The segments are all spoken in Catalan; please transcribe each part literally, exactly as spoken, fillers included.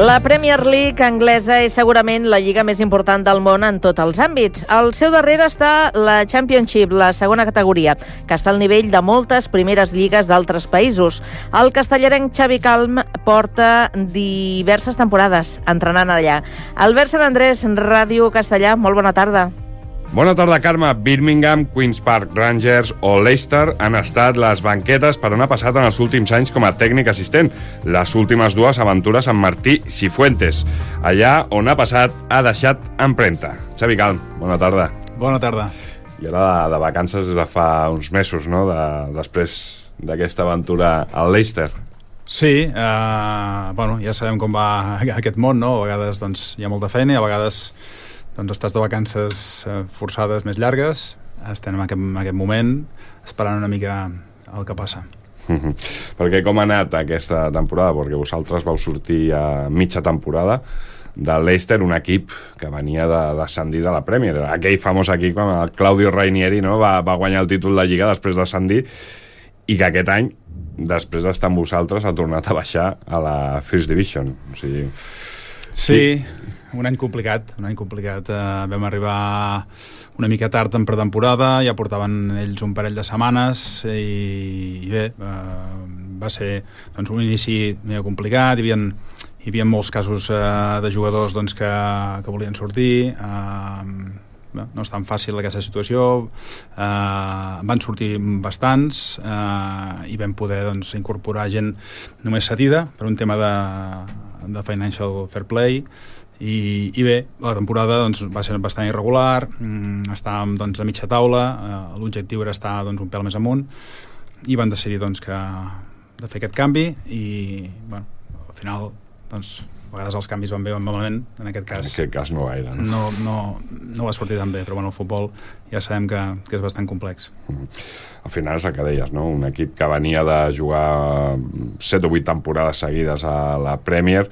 La Premier League anglesa és segurament la lliga més important del món en tots els àmbits. Al seu darrere està la Championship, la segona categoria, que està al nivell de moltes primeres lligues d'altres països. El castellarenc Xavi Calm porta diverses temporades entrenant allà. Albert Sant Andrés, Ràdio Castellà, molt bona tarda. Bona tarda, Carme. Birmingham, Queen's Park Rangers o Leicester han estat les banquetes per on ha passat en els últims anys com a tècnic assistent. Les últimes dues aventures amb Martí Cifuentes. Allà on ha passat ha deixat empremta. Xavi Calm, bona tarda. Bona tarda. I ara de, de vacances des de fa uns mesos, no?, de, després d'aquesta aventura al Leicester. Sí, eh, bueno, ja sabem com va aquest món, no? A vegades doncs, hi ha molta feina i a vegades doncs estàs de vacances forçades més llargues. Estem en aquest, en aquest moment esperant una mica el que passa. Mm-hmm. Perquè com ha anat aquesta temporada? Perquè vosaltres vau sortir a mitja temporada del Leicester, un equip que venia de descendir de la Premier. Aquell famós equip quan el Claudio Ranieri, no, va, va guanyar el títol de Lliga després de descendir, i que aquest any, després d'estar amb vosaltres, ha tornat a baixar a la First Division. O sigui... Sí, un any complicat, un any complicat. Eh, vam arribar una mica tard en pretemporada, ja portaven ells un parell de setmanes i, i bé, eh, va ser doncs, un inici medio complicat. Hi havia, hi havia molts casos eh, de jugadors doncs, que, que volien sortir. Eh, bé, no és tan fàcil aquesta situació. Eh, van sortir bastants eh, i vam poder doncs, incorporar gent només cedida per un tema de de financial fair play i, i bé, la temporada doncs, va ser bastant irregular, mm, estàvem doncs, a mitja taula, eh, l'objectiu era estar doncs, un pèl més amunt i van decidir doncs, que, de fer aquest canvi i bueno, al final doncs, a vegades els canvis van bé o van malament, en aquest cas, en aquest cas no gaire, no? No, no, no va sortir tan bé, però bueno, el futbol ja sabem que, que és bastant complex. Mm. Al final és el que deies, no? Un equip que venia de jugar set o vuit temporades seguides a la Premier,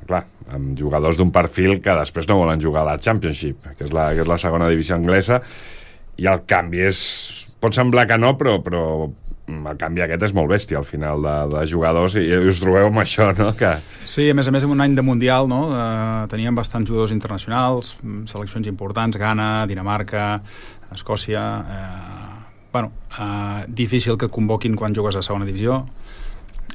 clar, amb jugadors d'un perfil que després no volen jugar a la Championship, que és la, que és la segona divisió anglesa, i el canvi és... pot semblar que no, però, però el canvi aquest és molt bèstia al final de, de jugadors, i us trobeu amb això, no? Que... Sí, a més a més en un any de Mundial, no? Eh, teníem bastants jugadors internacionals, seleccions importants, Ghana, Dinamarca, Escòcia... Eh, bueno, eh, difícil que et convoquin quan jugues a segona divisió.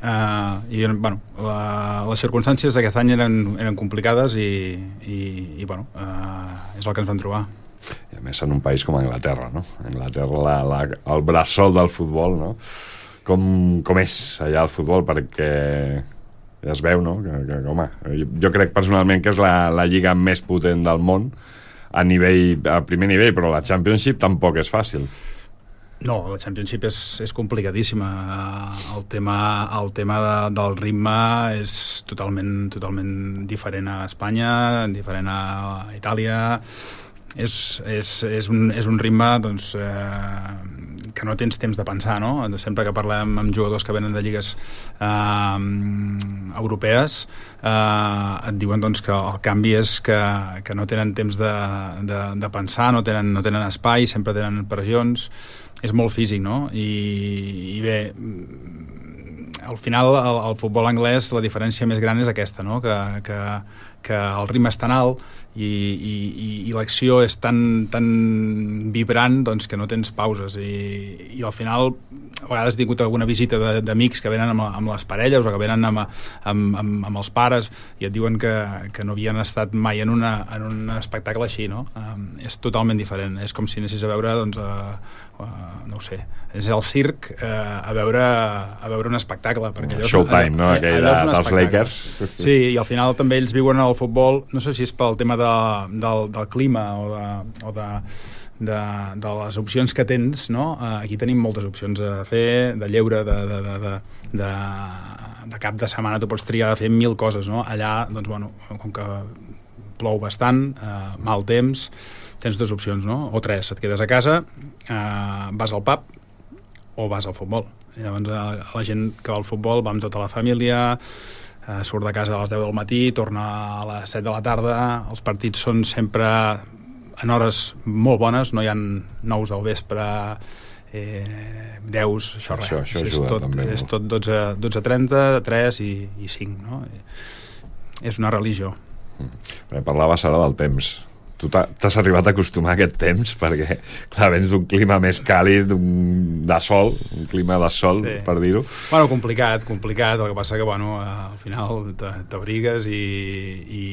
Eh, i bueno, la, les circumstàncies d'aquest any eren, eren complicades i, i, i bueno, eh, és el que ens vam trobar. I a més en un país com Anglaterra, no? Anglaterra, la, la, el bressol del futbol, no? Com, com és allà el futbol, perquè ja es veu, no? Que, que, home, jo, jo crec personalment que és la, la lliga més potent del món a nivell, a primer nivell, però la Championship tampoc és fàcil. No, la Championship és, és complicadíssima. El tema, el tema de, del ritme és totalment, totalment diferent a Espanya, diferent a Itàlia. És, és, és, un, és un ritme doncs, eh, que no tens temps de pensar, no? Sempre que parlem amb jugadors que venen de lligues eh, europees, eh, et diuen doncs, que el canvi és que, que no tenen temps de, de, de pensar, no tenen, no tenen espai, sempre tenen pressions. És molt físic, no? I, i bé, al final el, el futbol anglès la diferència més gran és aquesta, no? Que, que, que el ritme és tan alt i, i, i l'acció és tan, tan vibrant doncs, que no tens pauses i, i al final a vegades he tingut alguna visita d'amics que venen amb, amb les parelles o que venen amb, amb, amb, amb els pares i et diuen que, que no havien estat mai en, una, en un espectacle així, no? Um, és totalment diferent, és com si anessis a veure doncs, uh, uh, no ho sé, és el circ uh, a, veure, a veure un espectacle perquè allò, Showtime, no? Aquell de, dels Lakers. Sí, i al final també ells viuen el futbol, no sé si és pel tema de, del, del clima o de, o de De, de les opcions que tens, no? Aquí tenim moltes opcions a fer, de lleure, de, de, de, de, de, de cap de setmana tu pots triar a fer mil coses, no? Allà, doncs, bueno, com que plou bastant, eh, mal temps, tens dues opcions, no? O tres, et quedes a casa, eh, vas al pub o vas al futbol. I llavors eh, la gent que va al futbol va amb tota la família, eh, surt de casa a les deu del matí, torna a les set de la tarda, els partits són sempre en hores molt bones, no hi ha nous del vespre, eh, deu, això res. Això, això és, ajuda, tot, també, no? és tot dotze trenta, tres i, i cinc, no? és una religió. Mm. Parlaves ara del temps. Tu t'has arribat a acostumar a aquest temps perquè, clar, vens d'un clima més càlid, de sol, un clima de sol, sí. per dir-ho. Bueno, complicat, complicat, el que passa que, bueno, al final t'abrigues i, i,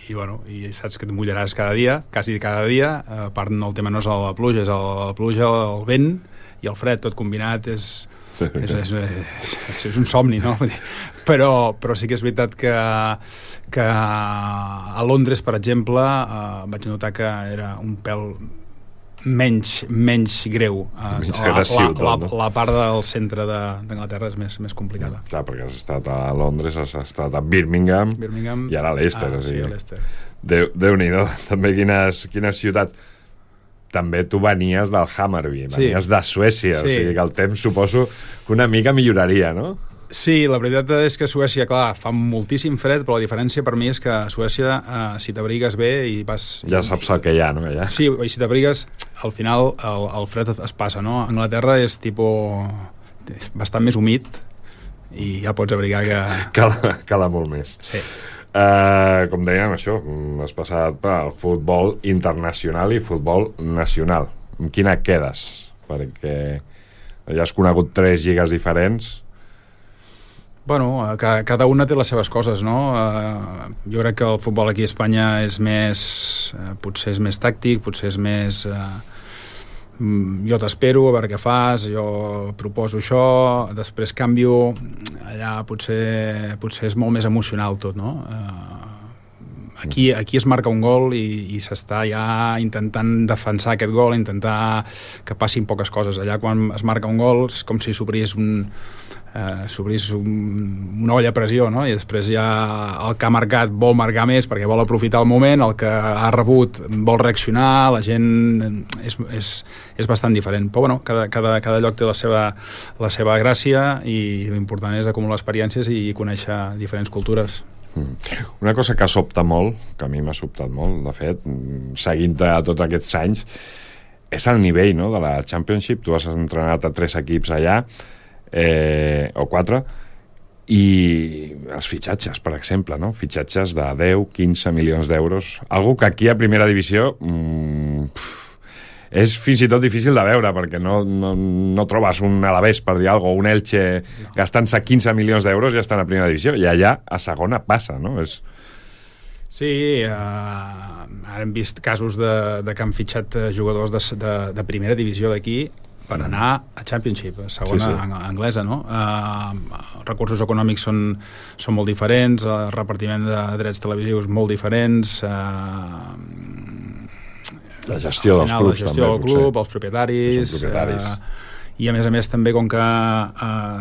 i, bueno, i saps que et mullaràs cada dia, quasi cada dia, a part el tema no és la pluja, és la pluja, el vent i el fred, tot combinat és... Sí. És, és, és, és un somni, no? Però, però sí que és veritat que, que a Londres, per exemple, eh, vaig notar que era un pèl menys, menys greu. Eh, menys la, agressiu, la, la, la part del centre d'Anglaterra és més, més complicada. Mm, clar, perquè has estat a Londres, has estat a Birmingham, Birmingham i ara a Leicester. Ah, sí, a Leicester. Déu, Déu-n'hi-do, també quines, quines ciutats. També tu venies del Hammarby, venies sí. de Suècia, sí. O sigui que el temps suposo que una mica milloraria, no? Sí, la veritat és que a Suècia, clar, fa moltíssim fred, però la diferència per mi és que a Suècia, eh, si t'abrigues bé i vas... Ja saps el que hi ha, no? Allà. Sí, i si t'abrigues, al final el, el fred es passa, no? A Anglaterra és tipus... és bastant més humit i ja pots abrigar que... Cala, cala molt més. Sí. Uh, com dèiem, això, has passat pel futbol internacional i futbol nacional. En quina quedes? Perquè ja has conegut tres lligues diferents. Bueno, cada una té les seves coses, no? Uh, jo crec que el futbol aquí a Espanya és més... Uh, potser és més tàctic, potser és més... Uh, jo t'espero a veure què fas, jo proposo això, després canvio, allà potser, potser és molt més emocional tot, no? Uh, aquí, aquí es marca un gol i, i s'està ja intentant defensar aquest gol, intentar que passin poques coses. Allà quan es marca un gol és com si s'obrís un... Uh, s'obrís un, una olla a pressió, no? I després ja el que ha marcat vol marcar més perquè vol aprofitar el moment, el que ha rebut vol reaccionar, la gent és, és, és bastant diferent, però bueno, cada, cada, cada lloc té la seva, la seva gràcia i l'important és acumular experiències i conèixer diferents cultures. Una cosa que sobta molt, que a mi m'ha sobtat molt, de fet, seguint-te tots aquests anys, és el nivell, no?, de la Championship. Tu has entrenat a tres equips allà, Eh, o quatre, i els fitxatges, per exemple, no? Fitxatges de deu, quinze milions d'euros, algo que aquí a primera divisió mmm, pff, és fins i tot difícil de veure, perquè no, no, no trobes un Alavés, per dir alguna cosa, o un Elche no. gastant-se quinze milions d'euros i ja estan a primera divisió, i allà a segona passa, no? És... Sí, eh, ara hem vist casos de, de que han fitxat jugadors de, de, de primera divisió d'aquí per anar a Championship, segona sí, sí. anglesa, no? Uh, recursos econòmics són, són molt diferents, el repartiment de drets televisius molt diferents, uh, la gestió dels clubs, la gestió també, del club, els propietaris, propietaris. Uh, i a més a més també com que uh,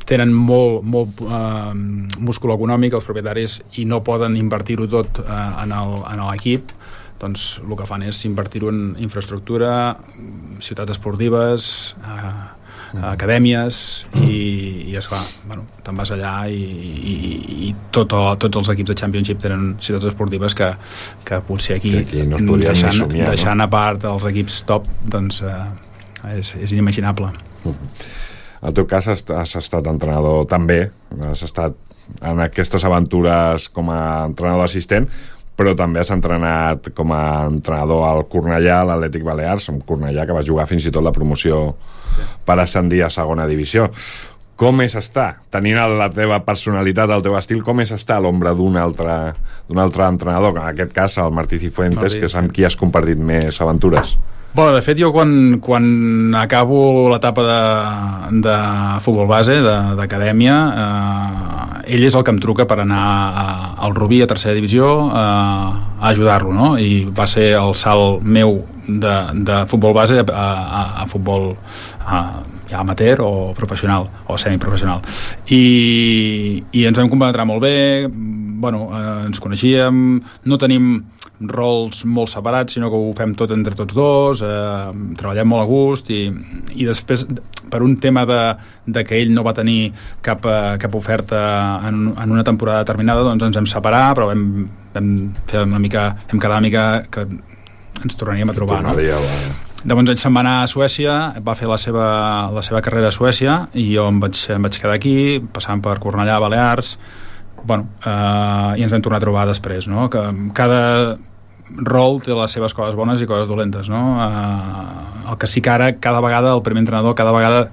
tenen molt, molt uh, múscul econòmic els propietaris i no poden invertir-ho tot uh, en l'equip, doncs el que fan és invertir-ho en infraestructura, ciutats esportives, eh, mm. acadèmies i, i esclar, bueno, te'n vas allà i, i, i tot, tots els equips de Championship tenen ciutats esportives que, que potser aquí, que aquí no deixant, somiar, deixant no? a part els equips top, doncs eh, és, és inimaginable. Mm. En el teu cas has, has estat entrenador també, has estat en aquestes aventures com a entrenador assistent, però també has entrenat com a entrenador al Cornellà, a l'Atlètic Balears, un Cornellà que va jugar fins i tot la promoció sí. per ascendir a segona divisió. Com és estar, tenint la teva personalitat, el teu estil, com és estar a l'ombra d'un altre, d'un altre entrenador, que en aquest cas el Martí Cifuentes, Martí, que és amb qui has compartit més aventures? Bueno, de fet, jo quan, quan acabo l'etapa de, de futbol base, d'acadèmia, eh, ell és el que em truca per anar a, al Rubí, a tercera divisió, eh, a ajudar-lo, no? I va ser el salt meu de, de futbol base a, a, a futbol a, ja amateur o professional, o semiprofessional. I, i ens vam compenetrar molt bé, bueno, eh, ens coneixíem, no tenim rols molt separats, sinó que ho fem tot entre tots dos, eh, treballem molt a gust i, i després, per un tema de, de que ell no va tenir cap, cap oferta en, en una temporada determinada, doncs ens vam separar, però vam, vam fer una mica, vam quedar una mica que ens tornaríem a trobar, no? Llavors ell se'n va anar a Suècia, va fer la seva, la seva carrera a Suècia i jo em vaig, em vaig quedar aquí, passant per Cornellà, Balears, bueno, uh, i ens vam tornar a trobar després, no? Que cada rol té les seves coses bones i coses dolentes, no? Uh, el que sí que ara, cada vegada, el primer entrenador cada vegada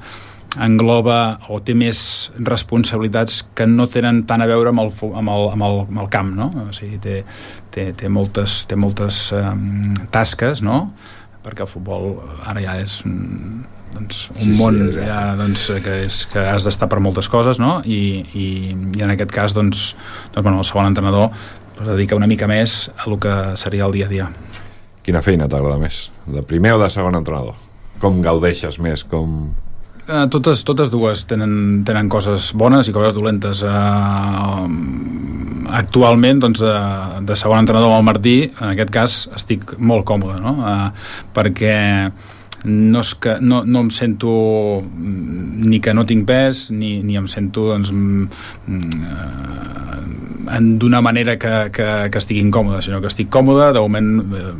engloba o té més responsabilitats que no tenen tant a veure amb el, amb el, amb el, amb el camp, no? O sigui, té, té, té moltes, té moltes um, tasques, no? Perquè el futbol ara ja és doncs, un sí, món sí, ja, doncs, que, és, que has d'estar per moltes coses, no? I, i, i en aquest cas doncs, doncs, bueno, el segon entrenador es dedica una mica més a el que seria el dia a dia. Quina feina t'agrada més? De primer o de segon entrenador? Com gaudeixes més? Com... Uh, totes, totes dues tenen, tenen coses bones i coses dolentes. Uh, actualment, doncs, uh, de segon entrenador amb el Martí, en aquest cas estic molt còmode, no? Uh, perquè no, és que, no, no em sento ni que no tinc pes, ni, ni em sento doncs, uh, d'una manera que, que, que estigui incòmode, sinó que estic còmode, de moment uh,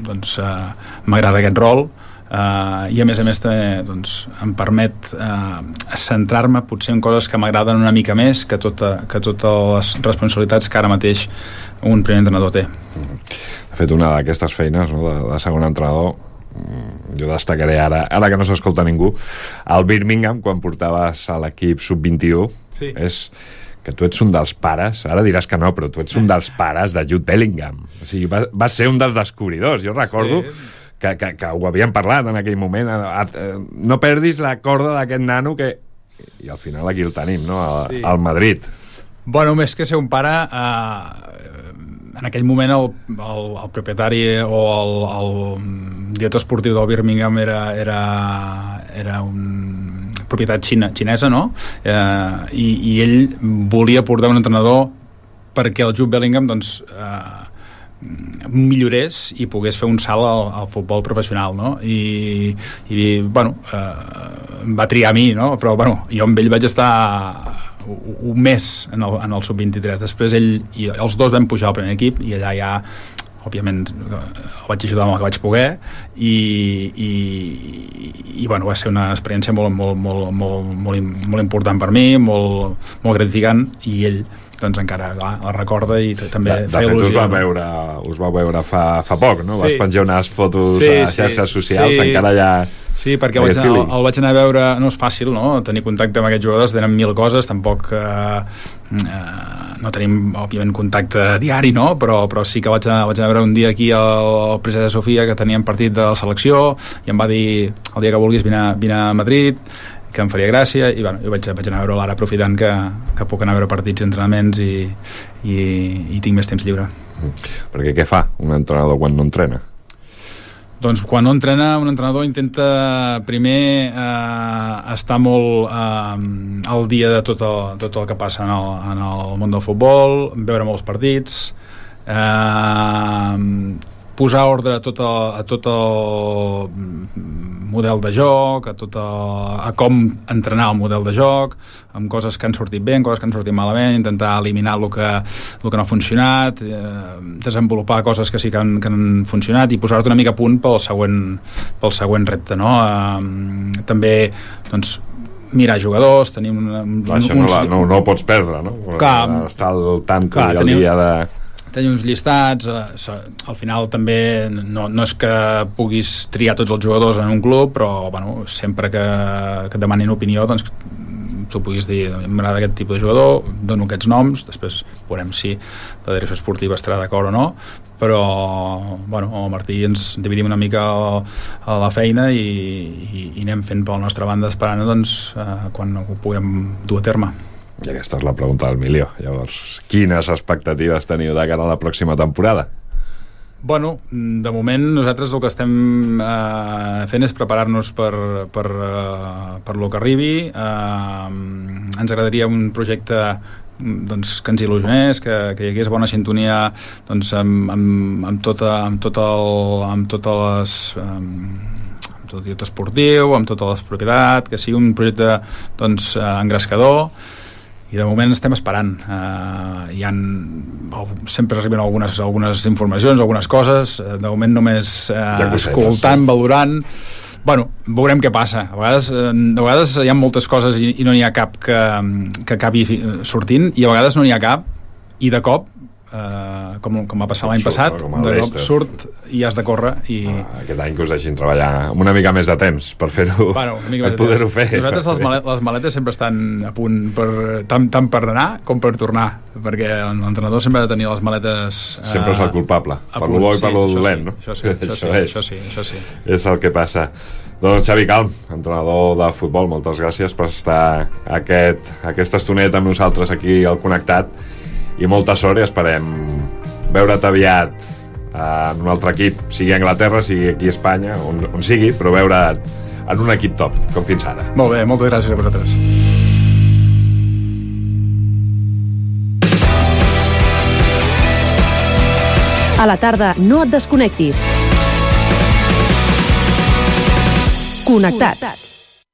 doncs, uh, m'agrada aquest rol. Uh, i a més a més també, doncs, em permet uh, centrar-me potser en coses que m'agraden una mica més que, tota, que totes les responsabilitats que ara mateix un primer entrenador té. De fet, una d'aquestes feines, no, de, de segon entrenador, jo destacaré ara, ara que no s'escolta ningú, el Birmingham, quan portaves a l'equip sub vint-i-u, sí. És que tu ets un dels pares, ara diràs que no, però tu ets un dels pares de Jude Bellingham. O sigui, vas, vas ser un dels descobridors. Jo recordo sí. que, que, que ho havíem parlat en aquell moment. A, a, no perdis la corda d'aquest nano que... I al final aquí el tenim, no? A, sí. Al Madrid. Bueno, més que ser un pare... Eh, en aquell moment el, el, el propietari o el, el director esportiu del Birmingham era, era, era un propietat xina, xinesa, no? Eh, i, i ell volia portar un entrenador perquè el Jude Bellingham doncs, eh, millorés i pogués fer un salt al, al futbol professional, no? I, i bueno, eh, va triar a mi, no? Però bueno, jo amb ell vaig estar un mes en el, en el sub vint-i-tres. Després ell i els dos vam pujar al primer equip i allà ja òbviament el vaig ajudar amb el que vaig poder i, i, i bueno, va ser una experiència molt, molt, molt, molt, molt, molt important per mi, molt, molt gratificant, i ell doncs encara clar, la recorda i també de, de feia il·lusió. De fet, us va veure, us va veure fa, fa poc, no? Sí. Vas penjar unes fotos sí, a xarxes sí, socials, sí. encara ja... Sí, perquè el vaig, el, el vaig anar a veure... No és fàcil, no?, tenir contacte amb aquests jugadors, tenen mil coses, tampoc... Eh, eh, no tenim, òbviament, contacte diari, no?, però, però sí que vaig anar, vaig anar a veure un dia aquí al, al Princesa Sofia, que teníem partit de la selecció, i em va dir, el dia que vulguis vine, vine a Madrid, que em faria gràcia, i bueno, jo vaig, vaig anar a veure l'ara aprofitant que, que puc anar a veure partits i entrenaments i, i, i tinc més temps lliure. Perquè què fa un entrenador quan no entrena? Doncs quan no entrena, un entrenador intenta primer eh, estar molt eh, al dia de tot el, tot el que passa en el, en el món del futbol, veure molts partits, eh, posar ordre a tot el, a tot el model de joc, a, tot el, a com entrenar el model de joc, amb coses que han sortit bé, amb coses que han sortit malament, intentar eliminar el que, el que no ha funcionat, eh, desenvolupar coses que sí que han, que han funcionat i posar-te una mica a punt pel següent, pel següent repte, no? Eh, també, doncs, mirar jugadors, tenim un, un, això un, no, la, no, no ho pots perdre, no? Clar, estar al tanto clar, i al tenim, dia de... tenir uns llistats, eh, al final també no, no és que puguis triar tots els jugadors en un club, però bueno, sempre que, que et demanin opinió, doncs tu puguis dir, m'agrada aquest tipus de jugador, dono aquests noms, després veurem si la direcció esportiva estarà d'acord o no, però bueno, el Martí ens dividim una mica a la feina i, i, i anem fent per la nostra banda esperant doncs, eh, quan ho puguem dur a terme. I aquesta és la pregunta del milió. Llavors, quines expectatives teniu de cara a la pròxima temporada? Bueno, de moment nosaltres el que estem eh, fent és preparar-nos per, per, eh, per lo que arribi. Eh, ens agradaria un projecte doncs, que ens il·lusionés, que, que hi hagués bona sintonia doncs, amb, amb, amb, tota, amb, tot el, amb totes les... Eh, amb tot el director esportiu, amb tota la propietat, que sigui un projecte doncs, eh, engrescador, i de moment estem esperant. Uh, hi ha, sempre arriben algunes, algunes informacions, algunes coses, de moment només uh, escoltant, valorant. Bueno, veurem què passa. A vegades, a vegades hi ha moltes coses i, i no n'hi ha cap que, que acabi sortint, i a vegades no n'hi ha cap, i de cop, eh, com, com va passar l'any passat, no? de cop surt i has de córrer. I... Ah, aquest any que us deixin treballar amb una mica més de temps per fer-ho, bueno, per poder-ho fer. Nosaltres les maletes, les maletes sempre estan a punt per, tant, tant per anar com per tornar, perquè l'entrenador sempre ha de tenir les maletes... Eh, sempre és el culpable, per lo bo i per lo dolent, no? Això sí, això, sí, això sí, això sí. És el que passa. Doncs Xavi Calm, entrenador de futbol, moltes gràcies per estar aquest, aquesta estoneta amb nosaltres aquí al Connectat, i molta sort, i esperem veure't aviat en un altre equip, sigui a Anglaterra, sigui aquí a Espanya, on, on sigui, però veure't en un equip top, com fins ara. Molt bé, moltes gràcies a vosaltres. A la tarda no et desconnectis. Connectats.